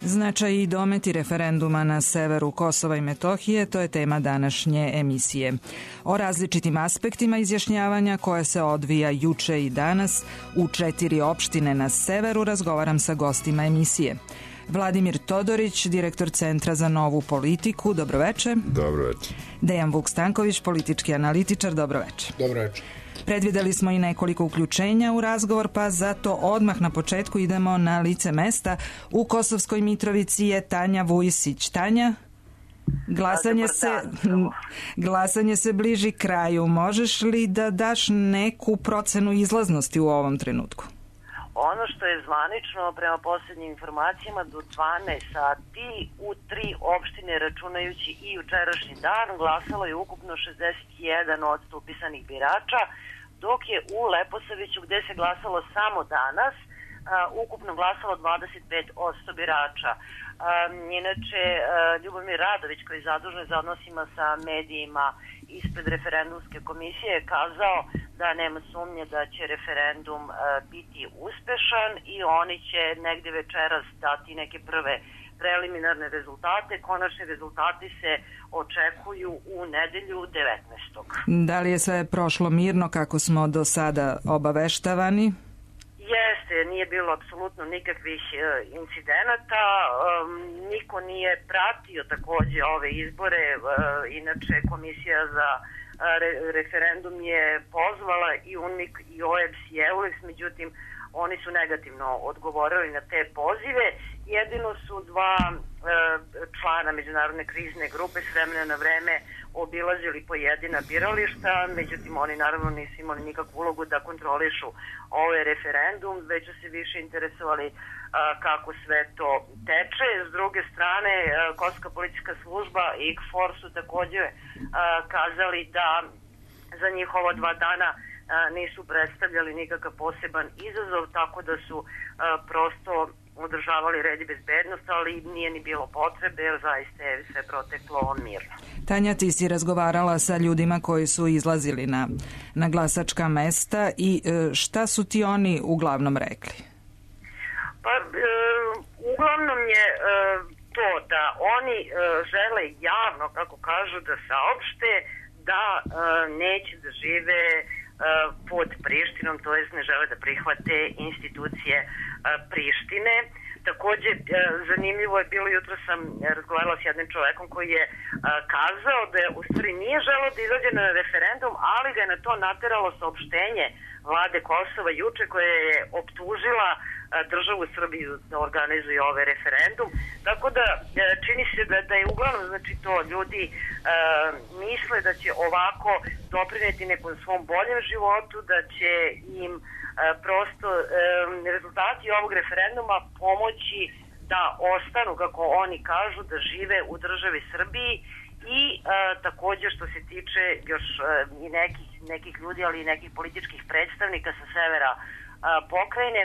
Značaj i dometi referenduma na severu Kosova i Metohije, to je tema današnje emisije. O različitim aspektima izjašnjavanja koje se odvija juče i danas u 4 opštine na severu razgovaram sa gostima emisije. Vladimir Todorić, direktor Centra za novu politiku, dobroveče. Dobroveče. Dejan Vuk Stanković, politički analitičar, dobroveče. Dobroveče. Predvideli smo i nekoliko uključenja u razgovor, pa zato odmah na početku idemo na lice mesta. U Kosovskoj Mitrovici je Tanja Vujisić. Tanja, glasanje se bliži kraju. Možeš li da daš neku procenu izlaznosti u ovom trenutku? Ono što je zvanično, prema posljednjim informacijama, do 12 sati u 3 opštine, računajući i jučerašnji dan, glasalo je ukupno 61% upisanih birača, dok je u Leposaviću, gde se glasalo samo danas, ukupno glasalo 25% birača. Inače, Ljubomir Radović, koji je zadužen za odnosima sa medijima ispred referendumske komisije, je kazao da nema sumnje da će referendum biti uspešan i oni će negde večeras dati neke prve preliminarne rezultate. Konačni rezultati se očekuju u nedelju 19. Da li je sve prošlo mirno kako smo do sada obaveštavani? Jeste, nije bilo apsolutno nikakvih incidenata, niko nije pratio takođe ove izbore, inače Komisija za referendum je pozvala i UNMIK i OEBS i EULEX, međutim oni su negativno odgovorili na te pozive. Jedino su dva člana međunarodne krizne grupe s vremena na vreme obilazili pojedina birališta, međutim oni naravno nisu imali nikakvu ulogu da kontrolišu ovaj referendum, već su se više interesovali kako sve to teče. S druge strane, Kosovska policijska služba i KFOR su takođe kazali da za njih ova 2 dana nisu predstavljali nikakav poseban izazov, tako da su prosto održavali red i bezbednost, ali nije ni bilo potrebe, jer zaista je sve proteklo mirno. Tanja, ti si razgovarala sa ljudima koji su izlazili na glasačka mesta i šta su ti oni uglavnom rekli? Pa, uglavnom je to da oni žele javno, kako kažu, da saopšte da neće da žive pod Prištinom, to jest ne žele da prihvate institucije Prištine. Takođe, zanimljivo je bilo, jutro sam razgovarala s jednim čovekom koji je kazao da u stvari nije želeo da izađe na referendum, ali ga je na to nateralo saopštenje vlade Kosova juče, koja je optužila državu Srbiju da organizuje ovaj referendum. Tako da čini se da je uglavnom, znači, to ljudi misle da će ovako doprineti nekom svom boljem životu, da će im prosto rezultati ovog referenduma pomoći da ostanu, kako oni kažu, da žive u državi Srbiji. I takođe što se tiče još i nekih ljudi, ali i nekih političkih predstavnika sa severa pokrajine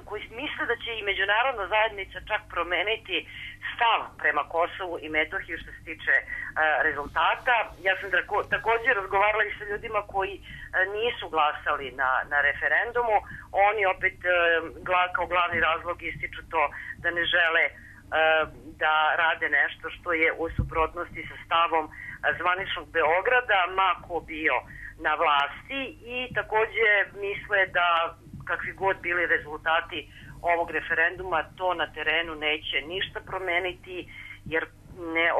koji misle da će i međunarodna zajednica čak promeniti stav prema Kosovu i Metohiji što se tiče rezultata. Ja sam takođe razgovarala i sa ljudima koji nisu glasali na referendumu. Oni opet kao glavni razlog ističu to da ne žele da rade nešto što je u suprotnosti sa stavom zvaničnog Beograda, ma ko bio na vlasti, i takođe misle da kakvi god bili rezultati ovog referenduma, to na terenu neće ništa promeniti, jer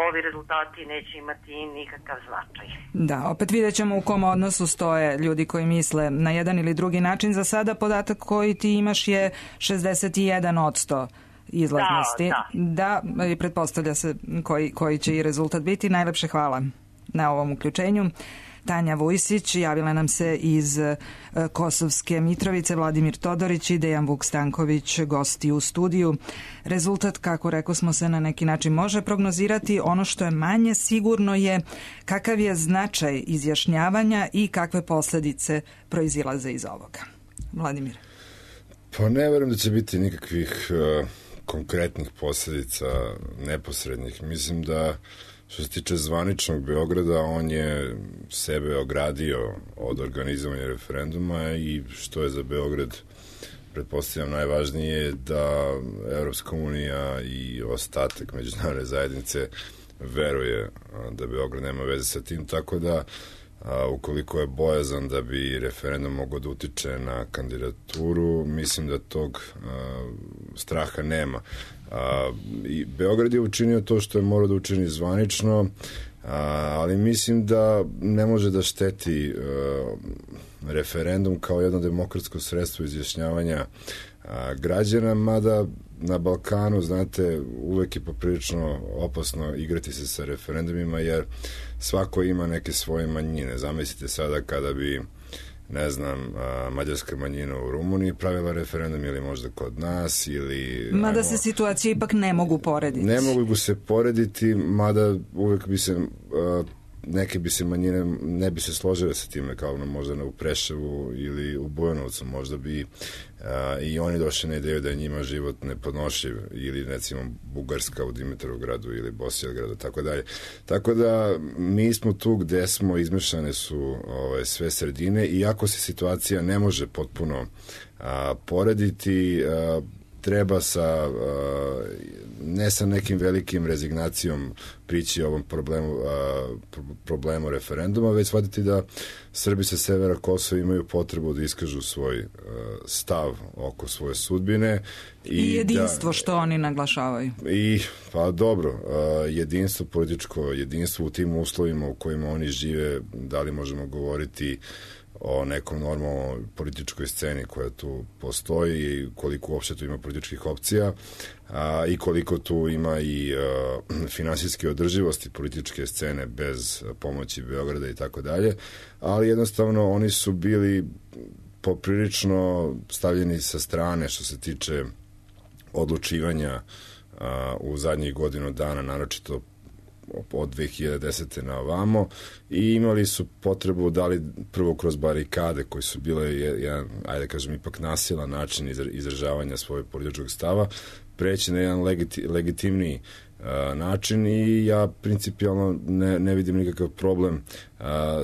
ovi rezultati neće imati nikakav značaj. Da, opet vidjet ćemo u kom odnosu stoje ljudi koji misle na jedan ili drugi način. Za sada podatak koji ti imaš je 61% izlaznosti. Da, i pretpostavlja se koji će i rezultat biti. Najlepše hvala na ovom uključenju. Tanja Vujisić, javila nam se iz Kosovske Mitrovice, Vladimir Todorić i Dejan Vuk Stanković, gosti u studiju. Rezultat, kako rekao smo, se na neki način može prognozirati. Ono što je manje sigurno je kakav je značaj izjašnjavanja i kakve posledice proizilaze iz ovoga. Vladimir. Pa ne verujem da će biti nikakvih konkretnih posledica neposrednih. Mislim da što se tiče zvaničnog Beograda, on je sebe ogradio od organizovanja referenduma i što je za Beograd pretpostavljam najvažnije je da Evropska unija i ostatak međunarodne zajednice veruje da Beograd nema veze sa tim, tako da ukoliko je bojazan da bi referendum mogao da utiče na kandidaturu, mislim da tog straha nema. I Beograd je učinio to što je morao da učini zvanično, ali mislim da ne može da šteti referendum kao jedno demokratsko sredstvo izjašnjavanja građana, mada na Balkanu, znate, uvek je poprilično opasno igrati se sa referendumima, jer svako ima neke svoje manjine. Zamislite sada kada bi, ne znam, mađarska manjina u Rumuniji pravila referendum, ili možda kod nas, ili... Mada se situacije ipak ne mogu porediti. Ne mogu se porediti, mada uvek bi se... neke bi se manjine ne bi se složile sa time, kao možda u Preševu ili u Bujanovcu, možda bi i oni došli na ideju da je njima život nepodnošljiv, ili recimo Bugarska u Dimitrovgradu ili Bosiljgradu, tako dalje. Tako da mi smo tu gde smo, izmešane su sve sredine, i ako se situacija ne može potpuno porediti, treba ne sa nekim velikim rezignacijom prići ovom problemu referenduma, već shvatiti da Srbi sa severa Kosova imaju potrebu da iskažu svoj stav oko svoje sudbine. I jedinstvo, što oni naglašavaju. Pa dobro, jedinstvo, političko jedinstvo u tim uslovima u kojima oni žive, da li možemo govoriti o nekom normalnoj političkoj sceni koja tu postoji, i koliko uopšte tu ima političkih opcija, i koliko tu ima i finansijske održivosti političke scene bez pomoći Beograda i tako dalje, ali jednostavno oni su bili poprilično stavljeni sa strane što se tiče odlučivanja u zadnjih godinu dana, naročito od 2010. na ovamo, i imali su potrebu, da li prvo kroz barikade koji su bile jedan, ajde kažem, ipak nasilan način izražavanja svojeg političkog stava, preći na jedan legitimniji način, i ja principijalno ne vidim nikakav problem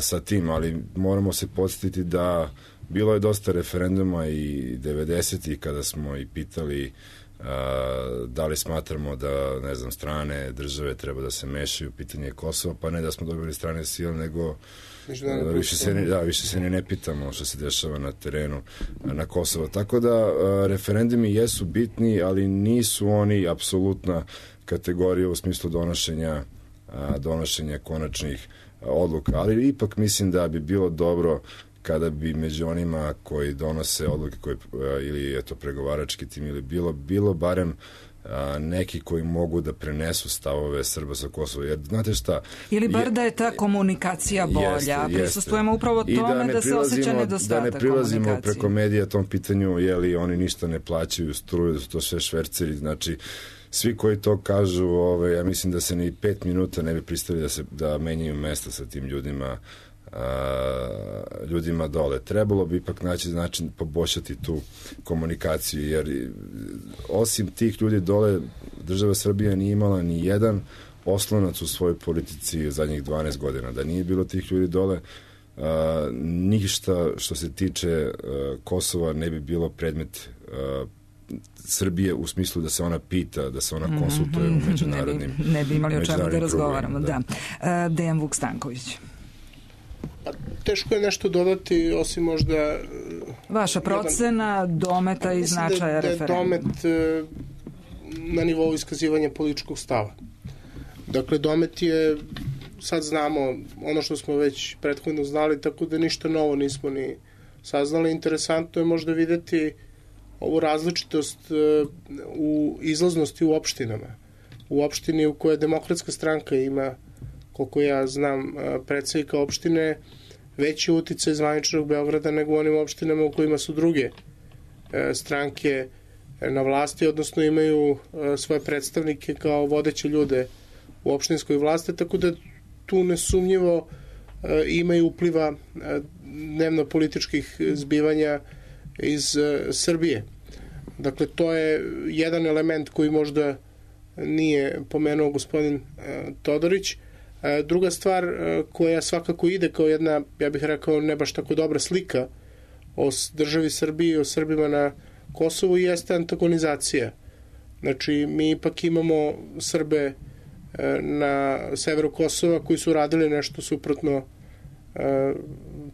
sa tim, ali moramo se podsjetiti da bilo je dosta referenduma i 90-ih kada smo i pitali da li smatramo da, ne znam, strane države treba da se mešaju u pitanje Kosova, pa ne da smo dobili strane sile, nego više se ne pitamo što se dešava na terenu na Kosovo. Tako da referendumi jesu bitni, ali nisu oni apsolutna kategorija u smislu donošenja konačnih odluka, ali ipak mislim da bi bilo dobro kada bi među onima koji donose odluke ili je to pregovarački tim, ili bilo barem neki koji mogu da prenesu stavove Srba sa Kosova, jer znate šta... Ili bar da je ta komunikacija bolja. Prisustujemo upravo tome da se osjeća nedostatak komunikacije. Da ne prilazimo preko medija tom pitanju, jeli oni ništa ne plaćaju struju, da su to sve šverceri, znači svi koji to kažu, ja mislim da se ni 5 minuta ne bi pristali da menjaju mesta sa tim ljudima dole. Trebalo bi ipak naći način poboljšati tu komunikaciju, jer osim tih ljudi dole država Srbija nije imala ni jedan oslonac u svojoj politici zadnjih 12 godina. Da nije bilo tih ljudi dole, ništa što se tiče Kosova ne bi bilo predmet Srbije u smislu da se ona pita, da se ona konsultuje u međunarodnim... Ne bi imali o čemu da razgovaramo, da. Dejan Vuk Stanković. Teško je nešto dodati, osim možda... Vaša procena dometa i značaja referenduma. Mislim da je domet na nivou iskazivanja političkog stava. Dakle, domet je, sad znamo ono što smo već prethodno znali, tako da ništa novo nismo ni saznali. Interesantno je možda videti ovu različitost u izlaznosti u opštinama. U opštini u kojoj Demokratska stranka ima, koliko ja znam, predsednika opštine, veći uticaj zvaničnog Beograda nego u onim opštinama u kojima su druge stranke na vlasti, odnosno imaju svoje predstavnike kao vodeće ljude u opštinskoj vlasti, tako da tu nesumnjivo imaju upliva dnevno političkih zbivanja iz Srbije. Dakle, to je jedan element koji možda nije pomenuo gospodin Todorić. Druga stvar koja svakako ide kao jedna, ja bih rekao, ne baš tako dobra slika o državi Srbiji, o Srbima na Kosovo jeste antagonizacija. Znači, mi ipak imamo Srbe na severu Kosova koji su radili nešto suprotno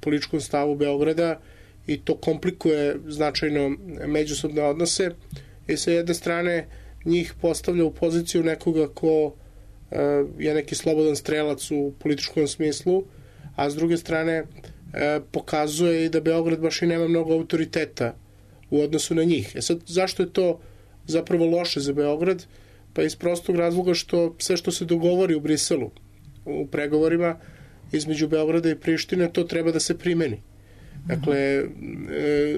političkom stavu Beograda i to komplikuje značajno međusobne odnose i sa jedne strane njih postavlja u poziciju nekoga ko je neki slobodan strelac u političkom smislu, a s druge strane pokazuje i da Beograd baš i nema mnogo autoriteta u odnosu na njih. Sad, zašto je to zapravo loše za Beograd? Pa iz prostog razloga što sve što se dogovori u Briselu, u pregovorima između Beograda i Prištine, to treba da se primeni. Dakle,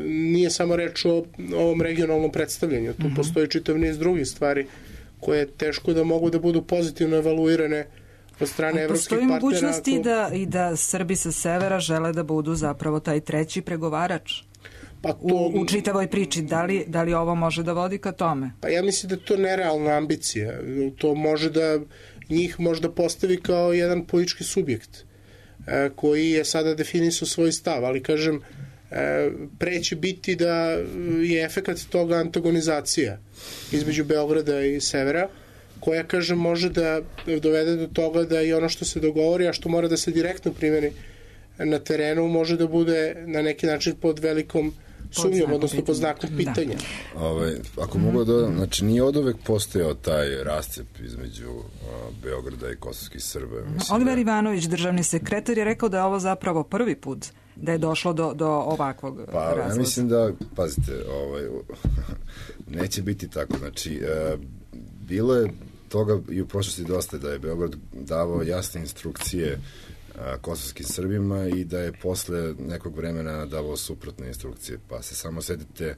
nije samo reč o ovom regionalnom predstavljanju. Tu postoji čitav niz drugih stvari koje teško da mogu da budu pozitivno evaluirane od strane evropskih partnera. Postoji mogućnosti da Srbi sa severa žele da budu zapravo taj treći pregovarač? Pa to, u čitavoj priči, da li ovo može da vodi ka tome? Pa ja mislim da je to nerealna ambicija. To može da njih možda postavi kao jedan politički subjekt koji je sada definisao svoj stav, ali kažem, pre će biti da je efekat toga antagonizacija između Beograda i severa, koja, kažem, može da dovede do toga da i ono što se dogovori, a što mora da se direktno primeni na terenu, može da bude na neki način pod velikom sumnjom, odnosno pod znakom pitanja. Ako mogu da dodam, znači nije od uvek postojao taj rascep između Beograda i kosovskih Srba. Oliver Ivanović, državni sekretar, je rekao da je ovo zapravo prvi put da je došlo do ovakvog razlaza. Ja mislim da, pazite, neće biti tako. Znači, bilo je toga i u prošlosti dosta da je Beograd davao jasne instrukcije kosovskim Srbima i da je posle nekog vremena davao suprotne instrukcije. Pa se samo setite,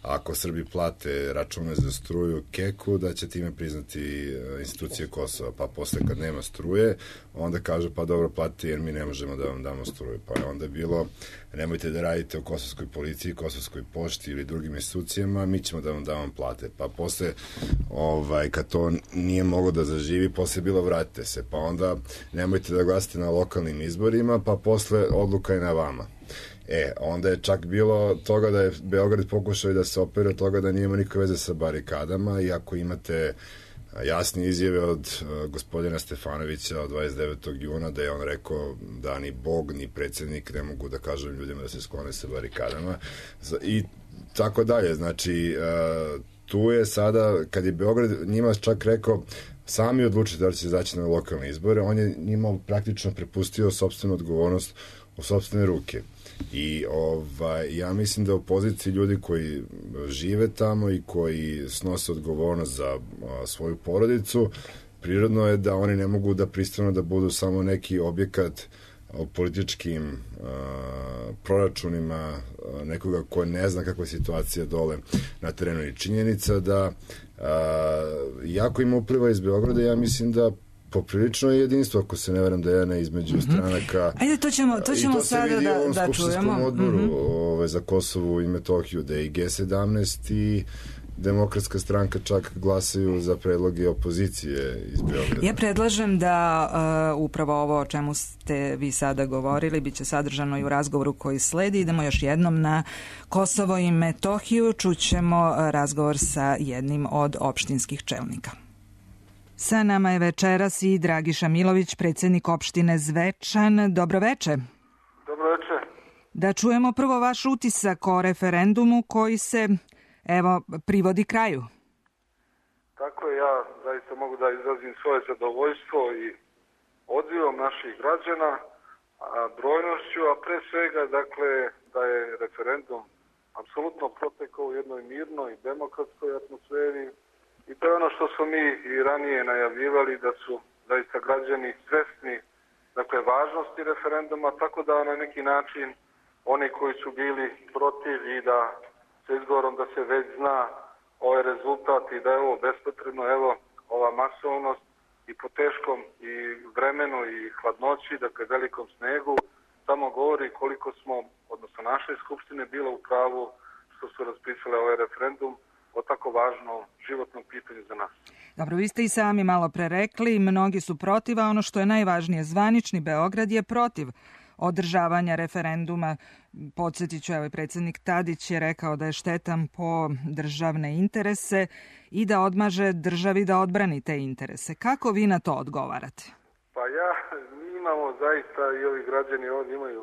ako Srbi plate račune za struju Keku, da će time priznati institucije Kosova. Pa posle kad nema struje, onda kažu pa dobro platite jer mi ne možemo da vam damo struju. Pa je onda bilo, nemojte da radite u kosovskoj policiji, kosovskoj pošti ili drugim institucijama, mi ćemo da vam damo plate. Pa posle, kad to nije moglo da zaživi, posle je bilo vratite se. Pa onda nemojte da glasite na lokalnim izborima, pa posle odluka je na vama. Onda je čak bilo toga da je Beograd pokušao da se opere od toga da nije ima nikakve veze sa barikadama, i ako imate jasne izjave od gospodina Stefanovića od 29. juna da je on rekao da ni Bog ni predsjednik ne mogu da kažu ljudima da se sklone sa barikadama i tako dalje. Znači, tu je sada, kad je Beograd njima čak rekao sami odlučite da li će izaći na lokalne izbore, on je njima praktično prepustio sopstvenu odgovornost u sopstvene ruke. I ja mislim da u poziciji ljudi koji žive tamo i koji snose odgovornost za svoju porodicu, prirodno je da oni ne mogu da pristanu da budu samo neki objekat o političkim proračunima nekoga ko ne zna kakva je situacija dole na terenu. I činjenica da jako ima upliva iz Beograda, ja mislim da poprilično je jedinstvo, ako se ne veram da je jedna između stranaka. Ajde, to ćemo sada da čujemo. I to se vidi u ovom skupštinskom odboru za Kosovo i Metohiju, da je i G17 i Demokratska stranka čak glasaju za predloge opozicije iz Beograda. Ja predlažem da upravo ovo o čemu ste vi sada govorili biće sadržano i u razgovoru koji sledi. Idemo još jednom na Kosovo i Metohiju. Čućemo razgovor sa jednim od opštinskih čelnika. Sa nama je večeras i Dragiša Milović, predsjednik opštine Zvečan. Dobroveče. Dobroveče. Da čujemo prvo vaš utisak o referendumu koji se, privodi kraju. Tako je, ja zaista mogu da izrazim svoje zadovoljstvo i odzivom naših građana, brojnošću, a pre svega, dakle, da je referendum apsolutno protekao u jednoj mirnoj, demokratskoj atmosferi. I to je ono što smo mi i ranije najavljivali, da su zaista građani svesni, dakle, važnosti referenduma, tako da na neki način oni koji su bili protiv i da sa izgovorom da se već zna ovaj rezultat i da je ovo bespotrebno, evo, ova masovnost i po teškom i vremenu i hladnoći, dakle, velikom snegu, samo govori koliko smo, odnosno naše skupštine, bilo u pravu što su raspisale ovaj referendum o tako važnom životnom pitanju za nas. Dobro, vi ste i sami malo pre rekli, mnogi su protiv, a ono što je najvažnije, zvanični Beograd je protiv održavanja referenduma. Podsjetit ću, evo, predsjednik Tadić je rekao da je štetan po državne interese i da odmaže državi da odbrani te interese. Kako vi na to odgovarate? Pa mi imamo zaista, i ovi građani ovdje imaju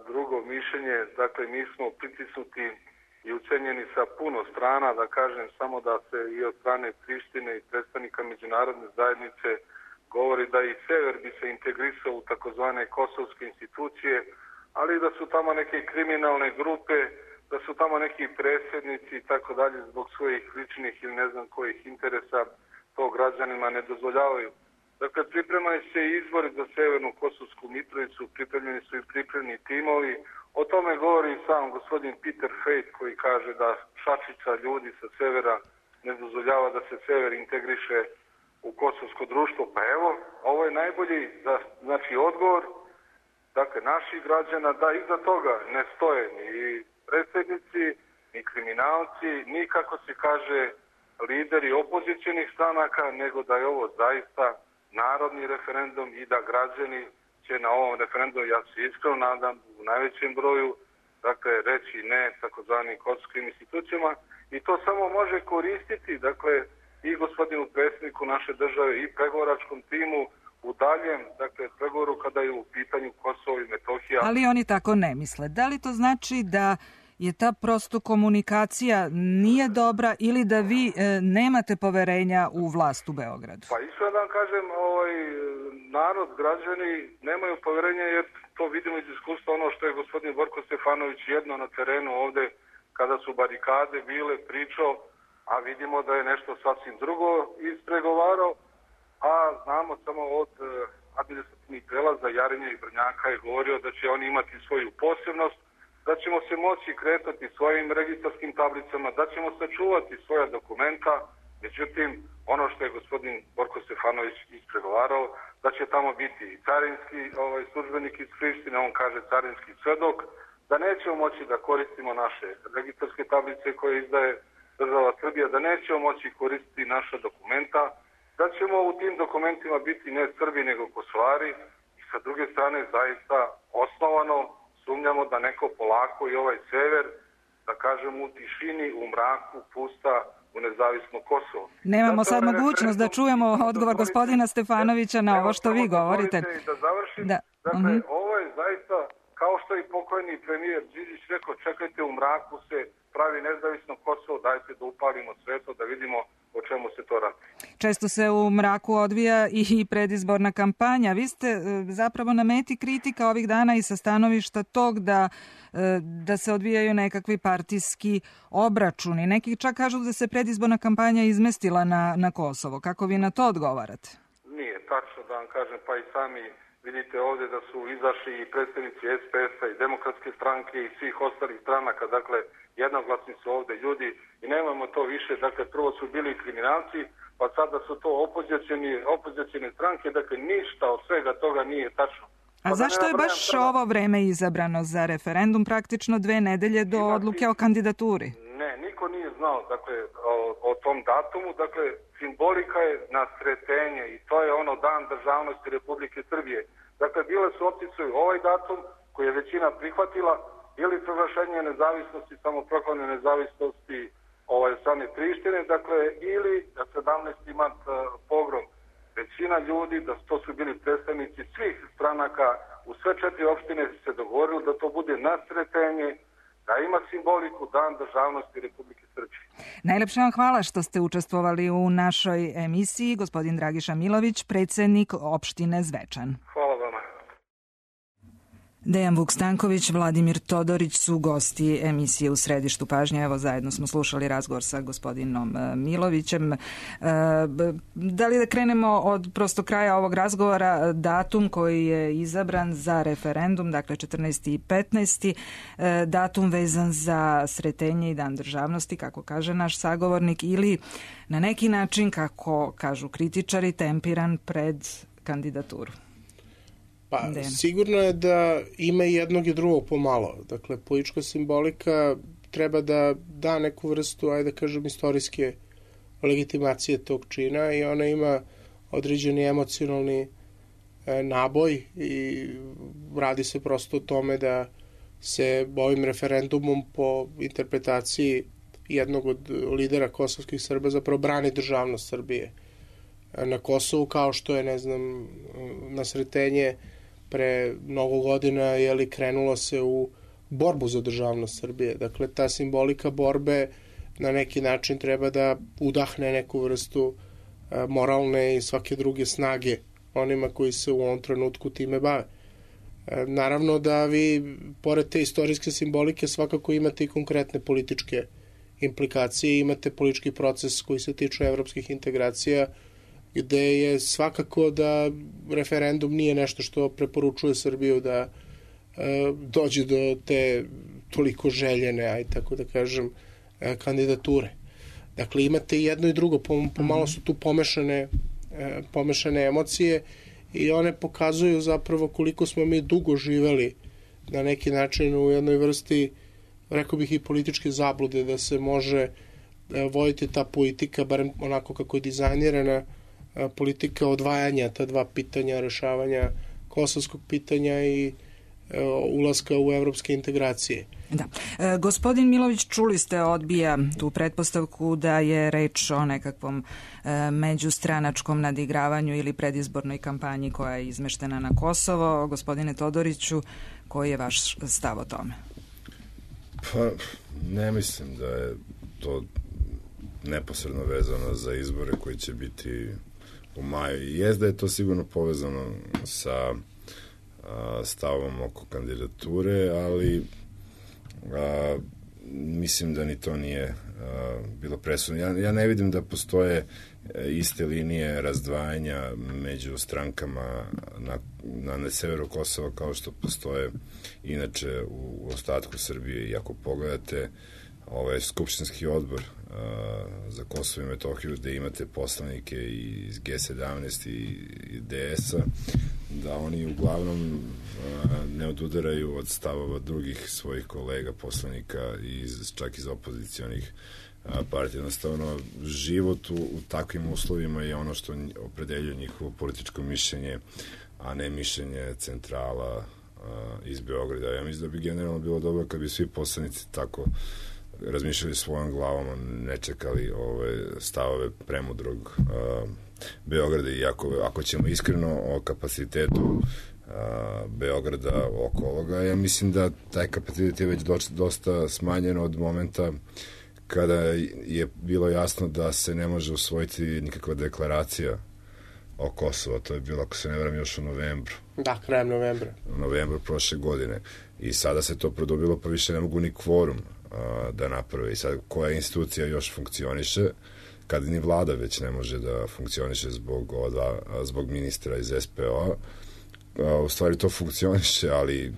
drugo mišljenje. Dakle, mi smo pritisnuti i ucenjeni sa puno strana, da kažem samo da se i od strane Prištine i predstavnika međunarodne zajednice govori da i sever bi se integrisao u takozvane kosovske institucije, ali da su tamo neke kriminalne grupe, da su tamo neki predsjednici i tako dalje zbog svojih ličnih ili ne znam kojih interesa, to građanima ne dozvoljavaju. Dakle, pripremaju se izbori za Severnu Kosovsku Mitrovicu, pripremljeni su i pripremni timovi. O tome govori sam gospodin Peter Fejt koji kaže da šačica ljudi sa severa ne dozvoljava da se sever integriše u kosovsko društvo. Pa evo, ovo je najbolji odgovor naših građana da iza toga ne stoje ni predsjednici, ni kriminalci, ni kako se kaže lideri opozicionih stranaka, nego da je ovo zaista narodni referendum i da građani će na ovom referendumu, ja se iskreno nadam, u najvećem broju, reći ne takozvanim kosovskim institucijama i to samo može koristiti, i gospodinu predsjedniku naše države i pregovaračkom timu u daljem, pregovoru kada je u pitanju Kosovo i Metohija. Ali oni tako ne misle. Da li to znači da je ta prosto komunikacija nije dobra ili da vi nemate poverenja u vlast u Beogradu? Pa isto da vam kažem, narod, građani nemaju poverenja jer to vidimo iz iskustva ono što je gospodin Borko Stefanović jedno na terenu ovde kada su barikade bile pričao, a vidimo da je nešto sasvim drugo ispregovarao, a znamo samo od administrativnih prelaza Jarinja i Brnjaka je govorio da će oni imati svoju posebnost, da ćemo se moći kretati svojim registarskim tablicama, da ćemo sačuvati svoja dokumenta. Međutim, ono što je gospodin Borko Stefanović ispregovarao, da će tamo biti i carinski službenik iz Prištine, on kaže carinski svedok, da nećemo moći da koristimo naše registarske tablice koje izdaje država Srbija, da nećemo moći koristiti naša dokumenta, da ćemo u tim dokumentima biti ne Srbi nego Kosovari i sa druge strane zaista osnovano sumnjamo da neko polako i ovaj sever, da kažem u tišini, u mraku, pusta u nezavisno Kosovo. Nemamo sad mogućnost da čujemo odgovor gospodina Stefanovića na ovo što vi govorite. Da završim. Ovo je zaista, kao što je pokojni premijer Đinđić rekao, čekajte u mraku se pravi nezavisno Kosovo, dajte da upalimo svetlo, da vidimo o čemu se to radi. Često se u mraku odvija i predizborna kampanja. Vi ste zapravo na meti kritika ovih dana i sa stanovišta tog da se odvijaju nekakvi partijski obračuni. Neki čak kažu da se predizborna kampanja izmestila na Kosovo. Kako vi na to odgovarate? Nije tačno, da vam kažem, pa i sami vidite ovdje da su izašli i predstavnici SPS-a i Demokratske stranke i svih ostalih stranaka, jednoglasni su ovdje ljudi i nemamo to više, prvo su bili kriminalci, pa sada su to opozicijne stranke, ništa od svega toga nije tačno. A zašto je baš ovo vreme izabrano za referendum, praktično 2 nedelje do odluke o kandidaturi? Ne, niko nije znao o tom datumu, simbolika je na Sretenje i to je Dan državnosti Republike Srbije. Bile su opcije ovaj datum koji je većina prihvatila ili proglašenje nezavisnosti, samoproklamne nezavisnosti strane Prištine, ili 17. mart pogrom. Većina ljudi, to su bili predstavnici svih stranaka u sve 4 opštine se dogovorili da to bude na Sretenje, da ima simboliku Dan državnosti Republike Srbije. Najlepše vam hvala što ste učestvovali u našoj emisiji. Gospodin Dragiša Milović, predsjednik opštine Zvečan. Hvala vama. Dejan Vuk Stanković, Vladimir Todorić su gosti emisije U središtu pažnje. Evo, zajedno smo slušali razgovor sa gospodinom Milovićem. Da li da krenemo od prosto kraja ovog razgovora, datum koji je izabran za referendum, 14. i 15. Datum vezan za Sretenje i Dan državnosti, kako kaže naš sagovornik, ili na neki način, kako kažu kritičari, tempiran pred kandidaturu? Pa, sigurno je da ima i jednog i drugog pomalo. Politička simbolika treba da da neku vrstu, istorijske legitimacije tog čina i ona ima određeni emocionalni naboj i radi se prosto o tome da se ovim referendumom po interpretaciji jednog od lidera kosovskih Srba zapravo brani državnost Srbije na Kosovu, kao što je, ne znam, na Sretenje pre mnogo godina krenulo se u borbu za državnost Srbije. Dakle, ta simbolika borbe na neki način treba da udahne neku vrstu moralne i svake druge snage onima koji se u ovom trenutku time bave. Naravno da vi, pored te istorijske simbolike, svakako imate i konkretne političke implikacije, imate politički proces koji se tiče evropskih integracija, gde je svakako da referendum nije nešto što preporučuje Srbiju da dođe do te toliko željene, aj tako da kažem, kandidature. Dakle, imate i jedno i drugo, pomalo su tu pomešane emocije i one pokazuju zapravo koliko smo mi dugo živeli na neki način u jednoj vrsti, rekao bih, i političke zablude, da se može voditi ta politika, barem onako kako je dizajnirana, politika odvajanja ta dva pitanja, rešavanja kosovskog pitanja i ulaska u evropske integracije. Da. Gospodin Milović, čuli ste, odbija tu pretpostavku da je reč o nekakvom međustranačkom nadigravanju ili predizbornoj kampanji koja je izmeštena na Kosovo. Gospodine Todoriću, koji je vaš stav o tome? Pa, ne mislim da je to neposredno vezano za izbore koji će biti u maju. Jest da je to sigurno povezano sa stavom oko kandidature, ali mislim da ni to nije bilo presudno. Ja ne vidim da postoje iste linije razdvajanja među strankama na severu Kosova kao što postoje inače u ostatku Srbije. I ako pogledate ovaj skupštinski odbor za Kosovo i Metohiju, gde imate poslanike iz G17 i DS-a, da oni uglavnom ne odudaraju od stavova drugih svojih kolega poslanika čak iz opozicionih partija. Jednostavno, život u takvim uslovima je ono što opredeljuje njihovo političko mišljenje, a ne mišljenje centrala iz Beograda. Ja mislim da bi generalno bilo dobro kad bi svi poslanici tako razmišljali svojom glavom, ne čekali stavove premudrog Beograda. I ako ćemo iskreno o kapacitetu Beograda oko ovoga, ja mislim da taj kapacitet je već dosta smanjen od momenta kada je bilo jasno da se ne može usvojiti nikakva deklaracija o Kosovo. To je bilo, ako se ne varam, još u novembru. Da, krajem novembra. U novembru prošle godine. I sada se to produbilo, pa više ne mogu ni kvorum da naprave. I sad koja institucija još funkcioniše, kad ni vlada već ne može da funkcioniše zbog ministra iz SPO-a. U stvari to funkcioniše, ali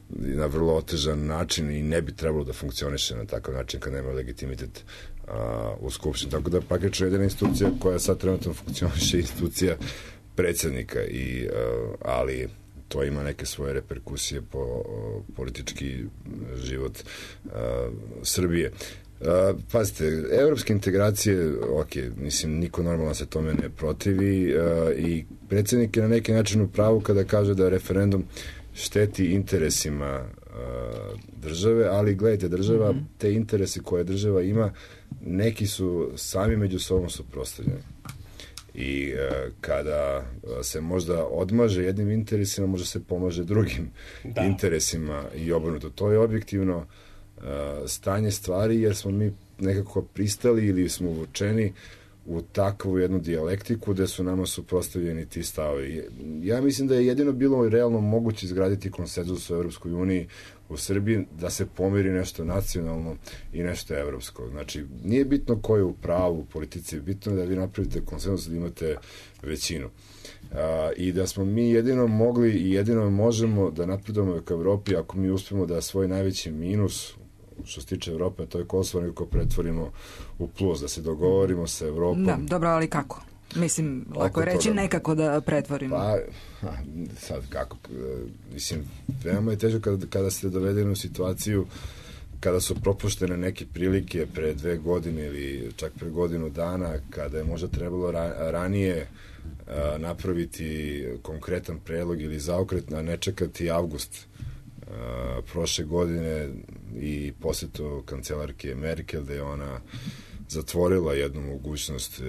na vrlo otežan način i ne bi trebalo da funkcioniše na takav način kad nema legitimitet u Skupštini. Tako da praktično jedina institucija koja sad trenutno funkcioniše je institucija predsjednika, ali to ima neke svoje reperkusije po politički život Srbije. Pazite, evropske integracije, mislim, niko normalno se tome ne protivi i predsjednik je na neki način u pravu kada kaže da referendum šteti interesima države, ali gledajte, država, te interese koje država ima, neki su sami među sobom suprotstavljeni. I kada se možda odmaže jednim interesima, možda se pomaže drugim interesima i obrnuto. To je objektivno stanje stvari, jer smo mi nekako pristali ili smo uvučeni u takvu jednu dijalektiku gde su nama suprotstavljeni ti stavovi. Ja mislim da je jedino bilo realno moguće izgraditi konsenzus u Evropskoj uniji u Srbiji, da se pomiri nešto nacionalno i nešto evropsko. Znači, nije bitno ko je u pravu u politici, bitno je da vi napravite konsenzus, da imate većinu. I da smo mi jedino mogli i jedino možemo da napredujemo ka Evropi ako mi uspemo da svoj najveći minus što se tiče Evrope, to je Kosovo, nekako pretvorimo u plus, da se dogovorimo sa Evropom. Da, dobro, ali kako? Mislim, lako je reći nekako da pretvorimo. Pa, sad kako? Mislim, veoma je težo kada ste dovedeni u situaciju kada su propuštene neke prilike pre 2 godine ili čak pre godinu dana, kada je možda trebalo ranije napraviti konkretan predlog ili zaokret, a ne čekati avgust prošle godine i posjetu kancelarke Merkel, da je ona zatvorila jednu mogućnost,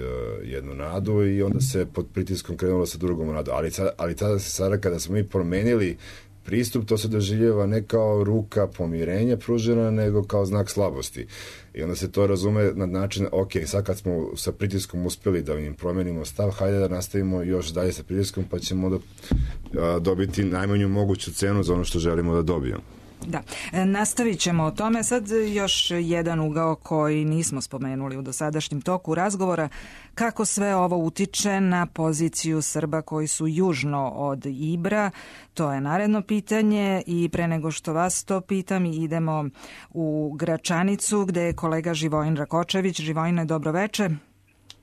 jednu nadu, i onda se pod pritiskom krenulo sa drugom nadu. Ali tada se sada, kada smo mi promenili pristup, to se doživljava ne kao ruka pomirenja pružena, nego kao znak slabosti. I onda se to razume na način, ok, sad kad smo sa pritiskom uspeli da im promenimo stav, hajde da nastavimo još dalje sa pritiskom, pa ćemo da dobiti najmanju moguću cenu za ono što želimo da dobijemo. Da, nastavit ćemo o tome. Sad još jedan ugao koji nismo spomenuli u dosadašnjem toku razgovora, kako sve ovo utiče na poziciju Srba koji su južno od Ibra. To je naredno pitanje, i pre nego što vas to pitam, idemo u Gračanicu gde je kolega Živojin Rakočević. Živojine, dobro veče.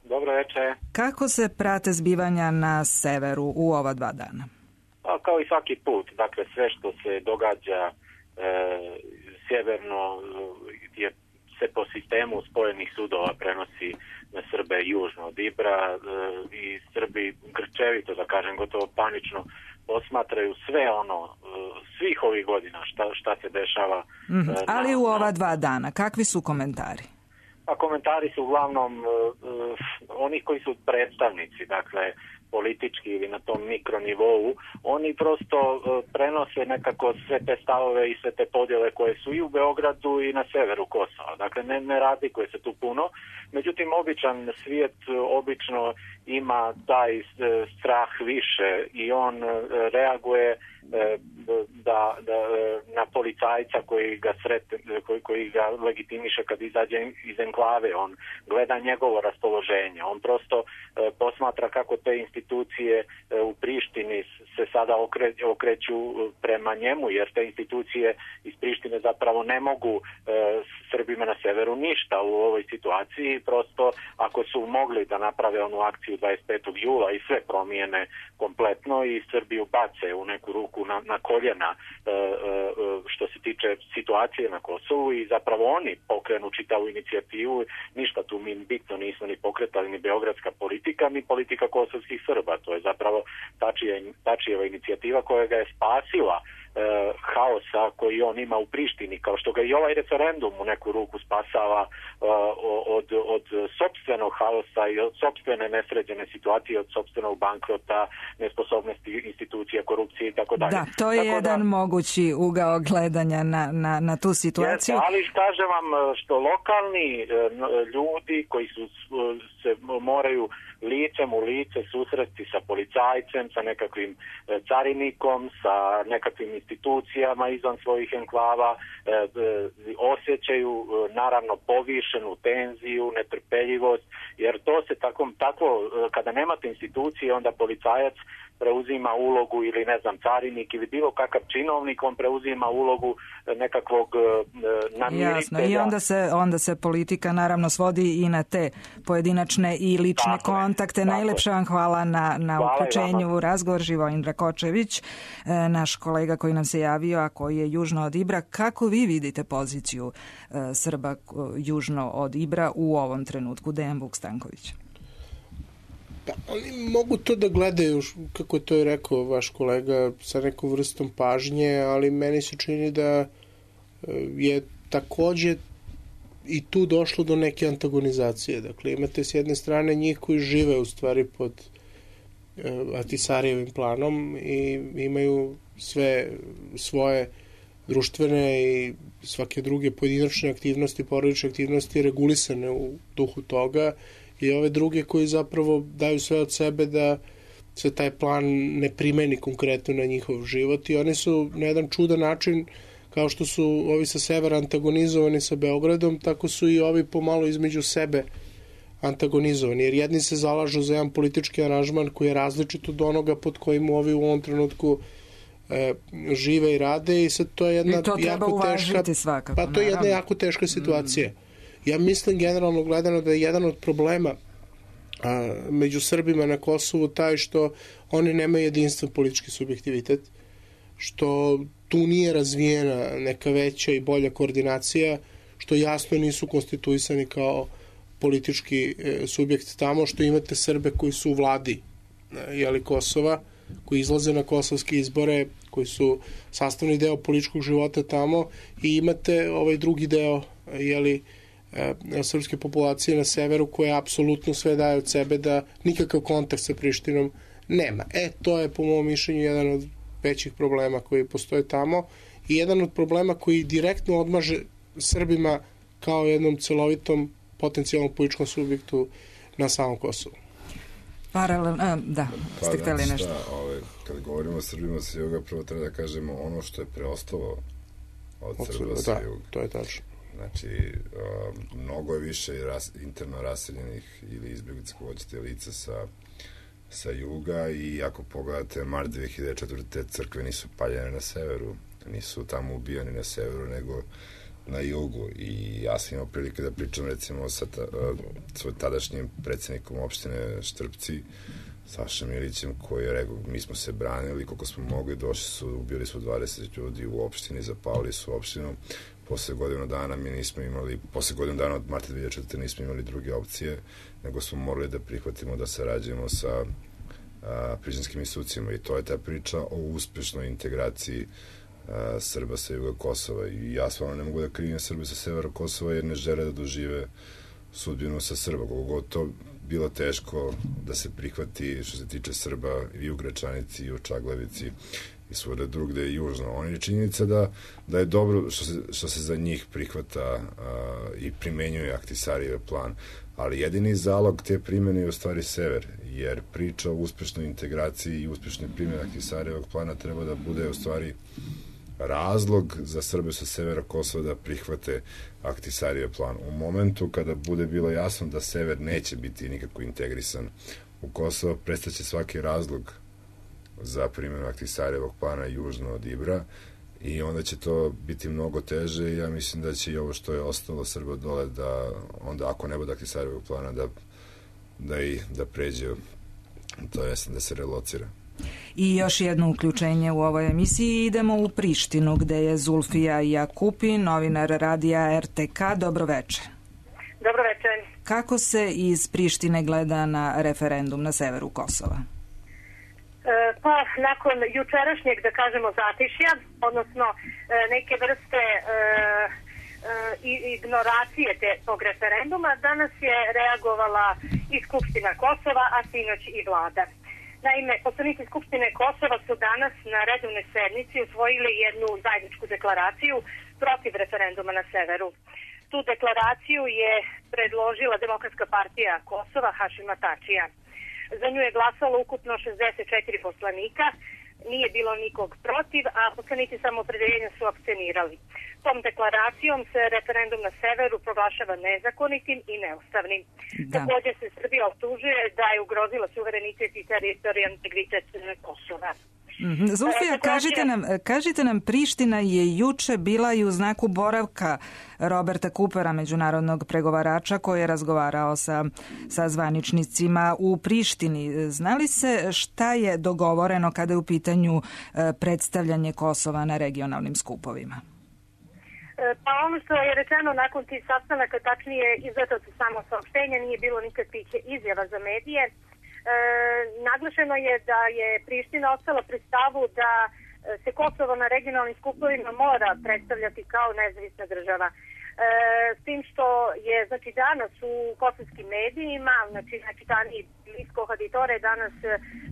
Dobro veče. Kako se prate zbivanja na severu u ova 2 dana? Pa, kao i svaki put, dakle sve što se događa sjeverno se po sistemu spojenih sudova prenosi na Srbe južno od Ibra, i Srbi grčevito, da kažem, gotovo panično posmatraju sve ono, svih ovih godina šta se dešava. Ali u ova 2 dana, kakvi su komentari? Pa komentari su uglavnom onih koji su predstavnici, dakle politički ili na tom mikronivou, oni prosto prenose nekako sve te stavove i sve te podjele koje su i u Beogradu i na severu Kosova. Dakle, ne razlikuje se tu puno. Međutim, običan svijet obično ima taj strah više i on reaguje na policajca koji ga legitimiše kad izađe iz enklave. On gleda njegovo raspoloženje. On prosto posmatra kako te institucije u Prištini se sada okreću prema njemu, jer te institucije iz Prištine zapravo ne mogu Srbima na severu ništa u ovoj situaciji. Prosto ako su mogli da naprave onu akciju 25. jula i sve promijene kompletno i Srbiju bace u neku ruku na koljena što se tiče situacije na Kosovu, i zapravo oni pokrenu čitavu inicijativu. Ništa tu mi bitno nismo ni pokretali, ni beogradska politika, ni politika kosovskih Srba. To je zapravo Tačijeva inicijativa koja ga je spasila haosa koji on ima u Prištini, kao što ga i ovaj referendum u neku ruku spasava od sopstvenog haosa i od sopstvene nesređene situacije, od sopstvenog bankrota, nesposobnosti institucija, korupcije i tako dalje. Da, to je jedan mogući ugao gledanja na tu situaciju. Jeste, ali kažem vam što lokalni ljudi koji se moraju licem u lice susresti sa policajcem, sa nekakvim carinikom, sa nekakvim institucijama izvan svojih enklava, osjećaju naravno povišenu tenziju, netrpeljivost, jer to se tako kada nemate institucije, onda policajac preuzima ulogu, ili ne znam, carinik ili bilo kakav činovnik, on preuzima ulogu nekakvog namiritelja. Jasno, i onda se politika naravno svodi i na te pojedinačne i lične kontakte. Najlepše vam hvala na uključenju u razgovor. Živojin Rakočević, naš kolega koji nam se javio, a koji je južno od Ibra. Kako vi vidite poziciju Srba južno od Ibra u ovom trenutku? Dejan Vuk-Stanković. Pa, oni mogu to da gledaju, kako je to i rekao vaš kolega, sa nekom vrstom pažnje, ali meni se čini da je takođe i tu došlo do neke antagonizacije. Dakle, imate s jedne strane njih koji žive u stvari pod Ahtisarijevim planom i imaju sve svoje društvene i svake druge pojedinačne aktivnosti, porodične aktivnosti regulisane u duhu toga, i ove druge koji zapravo daju sve od sebe da se taj plan ne primeni konkretno na njihov život, i oni su na jedan čudan način, kao što su ovi sa severa antagonizovani sa Beogradom, tako su i ovi pomalo između sebe antagonizovani, jer jedni se zalažu za jedan politički aranžman koji je različit od onoga pod kojim ovi u ovom trenutku žive i rade, i sad to je jedna jako teška, svakako, pa to je jedna jako teška situacija. Ja mislim generalno gledano da je jedan od problema među Srbima na Kosovu taj što oni nemaju jedinstven politički subjektivitet, što tu nije razvijena neka veća i bolja koordinacija, što jasno nisu konstituisani kao politički subjekt tamo, što imate Srbe koji su u vladi Kosova, koji izlaze na kosovske izbore, koji su sastavni deo političkog života tamo, i imate ovaj drugi deo srpske populacije na severu koja apsolutno sve daje od sebe da nikakav kontakt sa Prištinom nema. To je po mom mišljenju jedan od većih problema koji postoje tamo i jedan od problema koji direktno odmaže Srbima kao jednom celovitom potencijalnom političkom subjektu na samom Kosovu. Ste hteli nešto? Kad govorimo o Srbima sa juga, prvo treba da kažemo ono što je preostalo od Srba sa juga. To je tačno. Znači, mnogo je više interno raseljenih ili izbjeglica, ko hoćete, lica sa juga, i ako pogledate mart 2004. te crkve nisu paljene na severu, nisu tamo ubijani na severu, nego na jugu. I ja sam imao prilike da pričam recimo sa svoj tadašnjim predsjednikom opštine Štrpci, Sašom Ilićem, koji je rekao, mi smo se branili koliko smo mogli, došli su, ubili su 20 ljudi u opštini, zapalili su opštinu. Posle godinu dana od marta 2004. nismo imali druge opcije, nego smo morali da prihvatimo da sarađujemo sa prištinskim institucijama, i to je ta priča o uspešnoj integraciji Srba sa juga Kosova. I ja stvarno ne mogu da krivim Srbe sa severa Kosova, jer ne žele da dožive sudbinu sa Srba, koliko god to bilo teško da se prihvati što se tiče Srba i u Gračanici, i u Čaglavici, i svuda drugde i južno. On je činjenica da je dobro što se za njih prihvata i primenjuje Ahtisarijev plan, ali jedini zalog te primjene je u stvari sever, jer priča o uspešnoj integraciji i uspešnoj primjeni Ahtisarijevog plana treba da bude u stvari razlog za Srbe sa severa Kosova da prihvate Ahtisarijev plan. U momentu kada bude bilo jasno da sever neće biti nikako integrisan u Kosovo, prestaće svaki razlog za primjenu Ahtisarijevog plana južno od Ibra, i onda će to biti mnogo teže, i ja mislim da će i ovo što je ostalo Srba dole, da onda ako ne bude Ahtisarijevog plana da pređe, to jest da se relocira. I još jedno uključenje u ovoj emisiji. Idemo u Prištinu, gde je Zulfija Jakupi, novinar radija RTK. Dobroveče. Dobroveče. Kako se iz Prištine gleda na referendum na severu Kosova? Pa, nakon jučerašnjeg, da kažemo, zatišja, odnosno neke vrste ignoracije tog referenduma, danas je reagovala i Skupština Kosova, a sinoć i vlada. Naime, poslanici Skupštine Kosova su danas na redovnoj sednici usvojili jednu zajedničku deklaraciju protiv referenduma na severu. Tu deklaraciju je predložila Demokratska partija Kosova Hašima Tačija. Za nju je glasalo ukupno 64 poslanika, nije bilo nikog protiv, a poslanici samoopredeljenja su apstinirali. Tom deklaracijom se referendum na severu proglašava nezakonitim i neustavnim. Također se Srbija optužuje da je ugrozila suverenitet i teritorijalni integritet Kosova. Zulfija, kažite nam, Priština je juče bila i u znaku boravka Roberta Coopera, međunarodnog pregovarača koji je razgovarao sa zvaničnicima u Prištini. Zna li se šta je dogovoreno kada je u pitanju predstavljanje Kosova na regionalnim skupovima? Pa ono što je rečeno nakon tih sastanaka, tačnije izdato su samo saopštenja, nije bilo nikakvih izjava za medije. Naglašeno je da je Priština ostala pri stavu da se Kosovo na regionalnim skupovima mora predstavljati kao nezavisna država. S tim što je danas u kosovskim medijima, najčitaniji list Kohaditore danas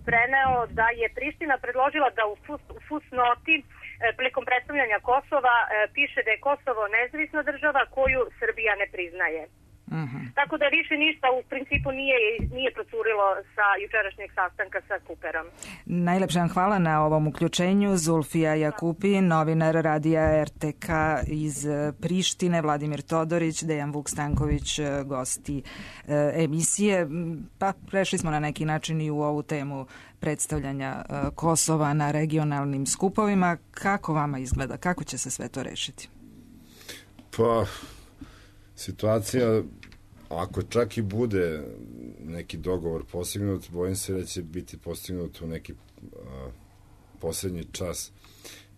preneo da je Priština predložila da u fusnoti prilikom predstavljanja Kosova piše da je Kosovo nezavisna država koju Srbija ne priznaje. Tako da više ništa u principu nije procurilo sa jučerašnjeg sastanka sa Cooperom. Najlepše vam hvala na ovom uključenju. Zulfija Jakupi, novinar radija RTK iz Prištine, Vladimir Todorić, Dejan Vuk-Stanković, gosti emisije. Pa prešli smo na neki način i u ovu temu predstavljanja Kosova na regionalnim skupovima. Kako vama izgleda? Kako će se sve to rešiti? Pa, situacija, ako čak i bude neki dogovor postignut, bojim se da će biti postignut u neki poslednji čas,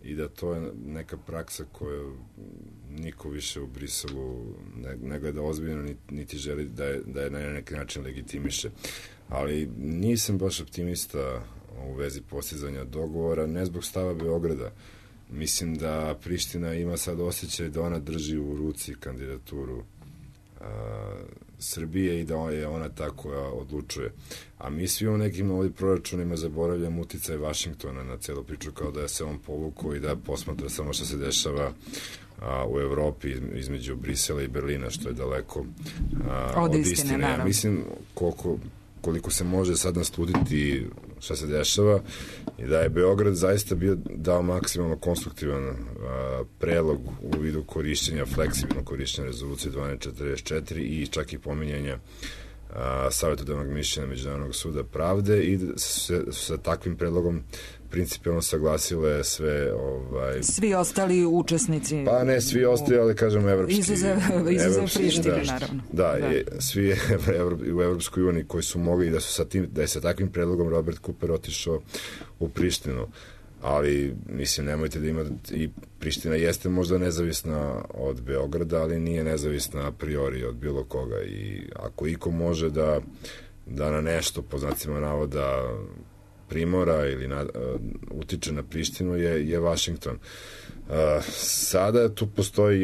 i da to je neka praksa koju niko više u Briselu ne gleda ozbiljno, niti želi da je na neki način legitimiše. Ali nisam baš optimista u vezi postizanja dogovora, ne zbog stava Beograda. Mislim da Priština ima sad osjećaj da ona drži u ruci kandidaturu Srbije i da je ona ta koja odlučuje. A mi svi u nekim ovim proračunima zaboravljamo uticaj Vašingtona na celu priču, kao da je se on povukao i da posmatra samo što se dešava u Evropi između Brisela i Berlina, što je daleko od istine. Ja mislim koliko se može sad naslutiti šta se dešava i da je Beograd zaista dao maksimalno konstruktivan predlog u vidu korišćenja, fleksibilno korišćenja rezolucije 1244 i čak i pominjanja savjetodavnog mišljenja Međunarodnog suda pravde i sa takvim predlogom principijalno saglasile sve svi ostali učesnici. Pa ne svi ostali, ali kažemo evropski. Izuzev Prištine, naravno. Da. Svi u Evropskoj uniji koji su mogli da je sa takvim predlogom Robert Cooper otišao u Prištinu. Ali, mislim, nemojte da ima, i Priština jeste možda nezavisna od Beograda, ali nije nezavisna a priori od bilo koga. I ako iko može da na nešto, po znacima navoda, primora ili utiče na Prištinu je Vašington. Sada tu postoji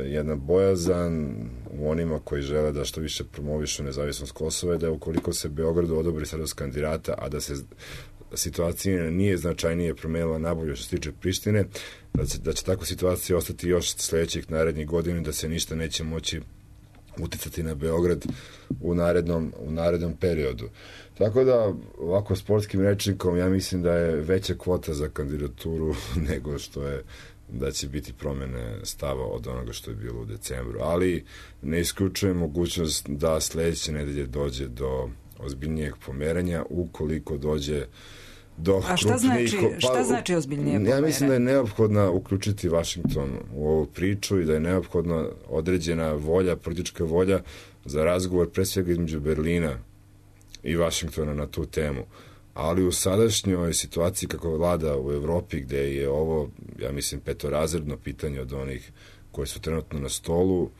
jedna bojazan u onima koji žele da što više promovišu nezavisnost Kosova, da ukoliko se Beogradu odobri status kandidata, a da se situacija nije značajnije promenila nabolje što se tiče Prištine, da će takva situacija ostati još sledećih narednih godina, da se ništa neće moći uticati na Beograd u narednom periodu. Tako da, ovako sportskim rečnikom, ja mislim da je veća kvota za kandidaturu nego što je da će biti promene stava od onoga što je bilo u decembru. Ali ne isključujem mogućnost da sledeće nedelje dođe do ozbiljnijeg pomeranja, ukoliko dođe do A šta znači ozbiljnije pomeranje? Ja mislim da je neophodno uključiti Vašington u ovu priču i da je neophodna određena volja, politička volja za razgovor pre svega između Berlina i Vašingtona na tu temu. Ali u sadašnjoj situaciji kako vlada u Evropi, gde je ovo, ja mislim, petorazredno pitanje od onih koji su trenutno na stolu,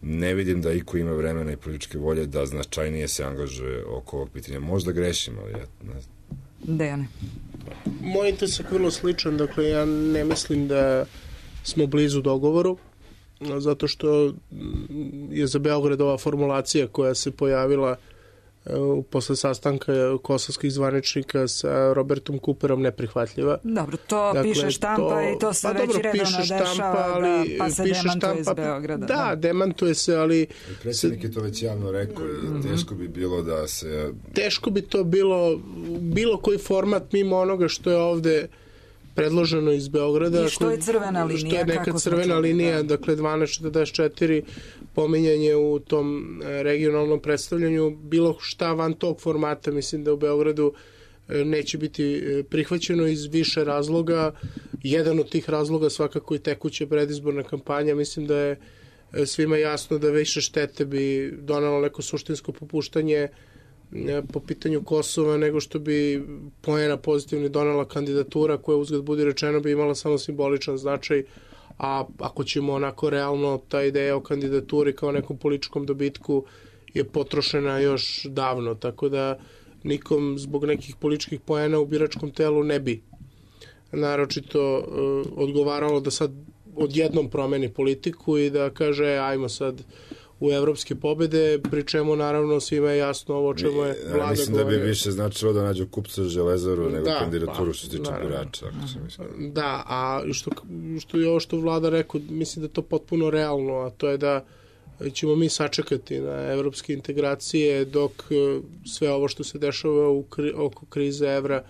ne vidim da iko ima vremena i političke volje da značajnije se angažuje oko ovog pitanja. Možda grešim, ali ja ne znam. Dejane. Moj intesak vrlo sličan, dakle ja ne mislim da smo blizu dogovoru, zato što je za Beograd ova formulacija koja se pojavila posle sastanka kosovskih zvaničnika sa Robertom Cooperom neprihvatljiva. Dobro, to piše štampa i to se već redovno dešava, pa se demantuje iz Beograda. Da, demantuje se, ali... Predsjednik je to već javno rekao i teško bi bilo da se... Teško bi to bilo koji format mimo onoga što je ovde predloženo iz Beograda. I što je crvena linija. Što je neka crvena linija, dakle 1244, pominjanje u tom regionalnom predstavljanju, bilo šta van tog formata, mislim da u Beogradu neće biti prihvaćeno iz više razloga. Jedan od tih razloga svakako i tekuća predizborna kampanja. Mislim da je svima jasno da više štete bi donalo neko suštinsko popuštanje po pitanju Kosova nego što bi poena pozitivni donela kandidatura koja, uzgled budi rečeno, bi imala samo simboličan značaj, a ako ćemo onako realno, ta ideja o kandidaturi kao nekom političkom dobitku je potrošena još davno, tako da nikom zbog nekih političkih poena u biračkom telu ne bi naročito odgovaralo da sad odjednom promeni politiku i da kaže ajmo sad u evropske pobede, pri čemu naravno svima je jasno ovo čemu je vlada govorio. Mislim da bi više značilo da nađu kupca Železaru nego kandidaturu što se tiče birača. Da, a što je ovo što vlada rekao, mislim da je to potpuno realno, a to je da ćemo mi sačekati na evropske integracije dok sve ovo što se dešava oko krize evra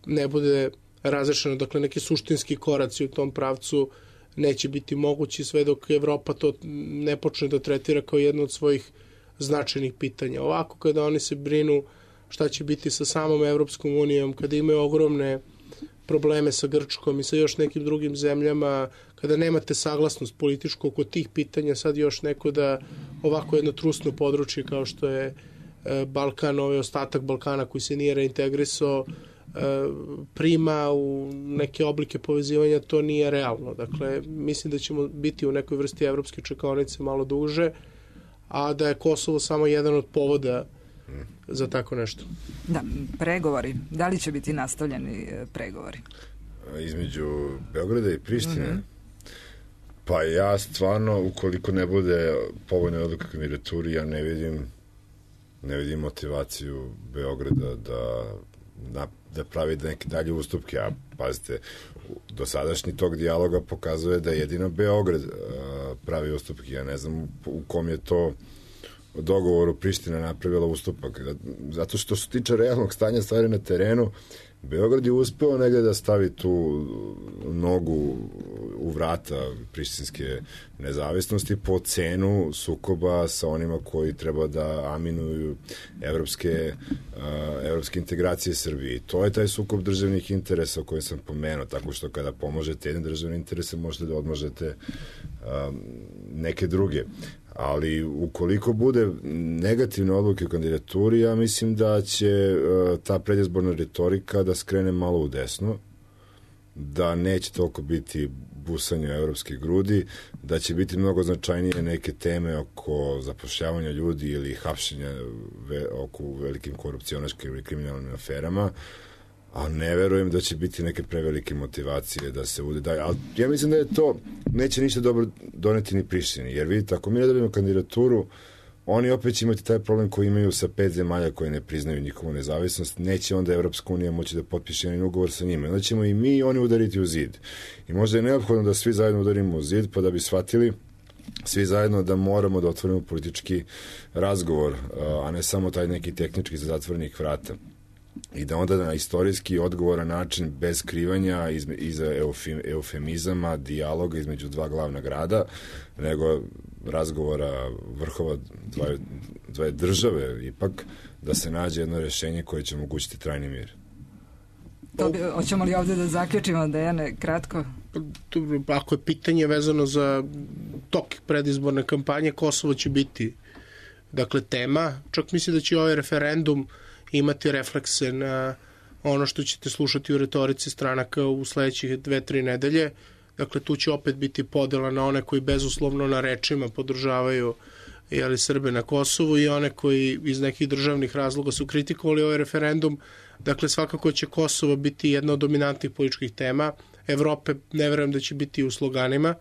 ne bude razrešeno. Dakle, neki suštinski koraci u tom pravcu neće biti mogući sve dok Evropa to ne počne da tretira kao jedno od svojih značajnih pitanja. Ovako, kada oni se brinu šta će biti sa samom Evropskom unijom, kada imaju ogromne probleme sa Grčkom i sa još nekim drugim zemljama, kada nemate saglasnost političku oko tih pitanja, sad još neko da ovako jedno trusno područje kao što je Balkan, ovaj ostatak Balkana koji se nije reintegrisao, prima u neke oblike povezivanja, to nije realno. Dakle, mislim da ćemo biti u nekoj vrsti evropske čekaonice malo duže, a da je Kosovo samo jedan od povoda za tako nešto. Da, pregovori. Da li će biti nastavljeni pregovori? Između Beograda i Prištine? Pa ja stvarno, ukoliko ne bude povoljna odluka kandidaturi, ja ne vidim motivaciju Beograda da pravi neke dalje ustupke. A pazite, dosadašnji tog dijaloga pokazuje da jedino Beograd pravi ustupke. Ja ne znam u kom je to dogovoru Priština napravila ustupak. Zato što se tiče realnog stanja stvari na terenu, Beograd je uspeo negde da stavi tu nogu u vrata prištinske nezavisnosti po cenu sukoba sa onima koji treba da aminuju evropske integracije Srbije. I to je taj sukob državnih interesa o kojem sam pomenuo, tako što kada pomožete jedne državne interese možete da odmažete neke druge. Ali ukoliko bude negativne odluke u kandidaturi, ja mislim da će ta predizborna retorika da skrene malo u desno, da neće toliko biti busanje evropske grudi, da će biti mnogo značajnije neke teme oko zapošljavanja ljudi ili hapšenja oko velikim korupcionaškim ili kriminalnim aferama, a ne verujem da će biti neke prevelike motivacije da se udaju. Ali ja mislim da je to, neće ništa dobro doneti ni Prištini, jer vidite, ako mi ne dobijemo kandidaturu, oni opet će imati taj problem koji imaju sa 5 zemalja koje ne priznaju njihovu nezavisnost, neće onda Evropska unija moći da potpiše jedan ugovor sa njima. Onda ćemo i mi i oni udariti u zid. I možda je neophodno da svi zajedno udarimo u zid, pa da bi shvatili svi zajedno da moramo da otvorimo politički razgovor, a ne samo taj neki tehnički za zatvorenih vrata. I da onda na istorijski odgovoran način, bez skrivanja, iza eufemizama, dijaloga između dva glavna grada, nego razgovora vrhova dve države, ipak da se nađe jedno rešenje koje će omogućiti trajni mir. Hoćemo li ovde da zaključimo, Dejane, kratko? Ako je pitanje vezano za tok predizborne kampanje, Kosovo će biti tema. Čak mislim da će ovaj referendum imati reflekse na ono što ćete slušati u retorici stranaka u sledećih 2-3 nedelje. Dakle, tu će opet biti podela na one koji bezuslovno na rečima podržavaju Srbe na Kosovu i one koji iz nekih državnih razloga su kritikovali ovaj referendum. Dakle, svakako će Kosovo biti jedna od dominantnih političkih tema. Evrope ne verujem da će biti u sloganima,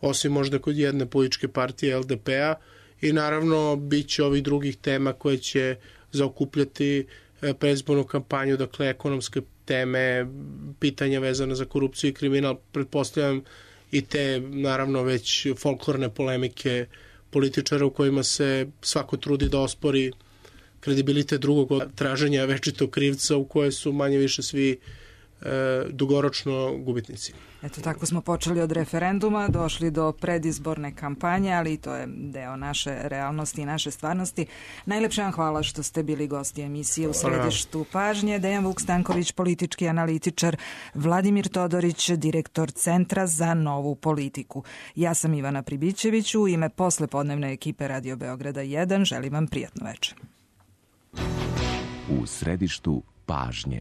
osim možda kod jedne političke partije LDP-a, i naravno bit će ovih drugih tema koje će zaokupljati predizbornu kampanju, dakle ekonomske teme, pitanja vezane za korupciju i kriminal, pretpostavljam i te naravno već folklorne polemike političara u kojima se svako trudi da ospori kredibilitet drugog od traženja večitog krivca, u koje su manje više svi dugoročno gubitnici. Eto, tako smo počeli od referenduma, došli do predizborne kampanje, ali i to je deo naše realnosti i naše stvarnosti. Najlepše vam hvala što ste bili gosti emisije U središtu pažnje. Dejan Vuk Stanković, politički analitičar, Vladimir Todorić, direktor Centra za novu politiku. Ja sam Ivana Pribićević, u ime poslepodnevne ekipe Radio Beograda 1 želim vam prijatno večer. U središtu pažnje.